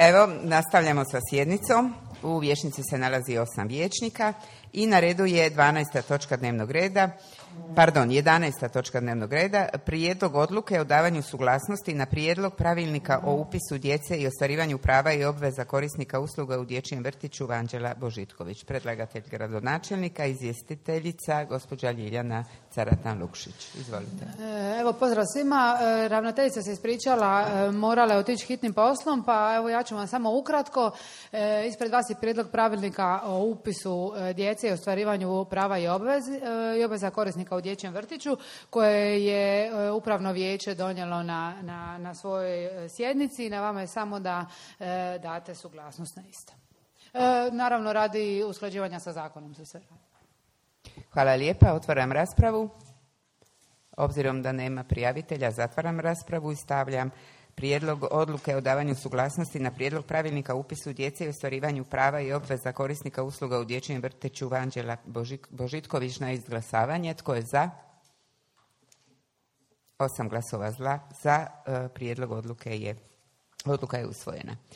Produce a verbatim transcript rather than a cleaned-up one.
Evo, nastavljamo sa sjednicom. U vijećnici se nalazi osam vijećnika i na redu je dvanaesta točka dnevnog reda, pardon, jedanaesta točka dnevnog reda, prijedlog odluke o davanju suglasnosti na prijedlog pravilnika o upisu djece i ostvarivanju prava i obveza korisnika usluga u dječjem vrtiću Vanđela Božitković. Predlagatelj gradonačelnika, izvjestiteljica gospođa Ljiljana Caratan-Lukšić. Izvolite. Evo, pozdrav svima. Ravnateljica se ispričala, morala je otići hitnim poslom, pa evo ja ću vam samo ukratko. Ispred vas je prijedlog pravilnika o upisu djece i ostvarivanju prava i obveza, i obveza korisnika u dječjem vrtiću, koje je upravno vijeće donijelo na, na, na svojoj sjednici i na vama je samo da e, date suglasnost na isto. E, naravno, radi usklađivanja sa zakonom se sve radi. Hvala lijepa. Otvaram raspravu. Obzirom da nema prijavitelja, zatvaram raspravu i stavljam prijedlog odluke o davanju suglasnosti na prijedlog pravilnika o upisu djece i ostvarivanju prava i obveza korisnika usluga u dječjem vrtiću Vanđela Božitković na izglasavanje. Tko je za? Osam glasova zla. Za. Prijedlog odluke je, odluka je usvojena.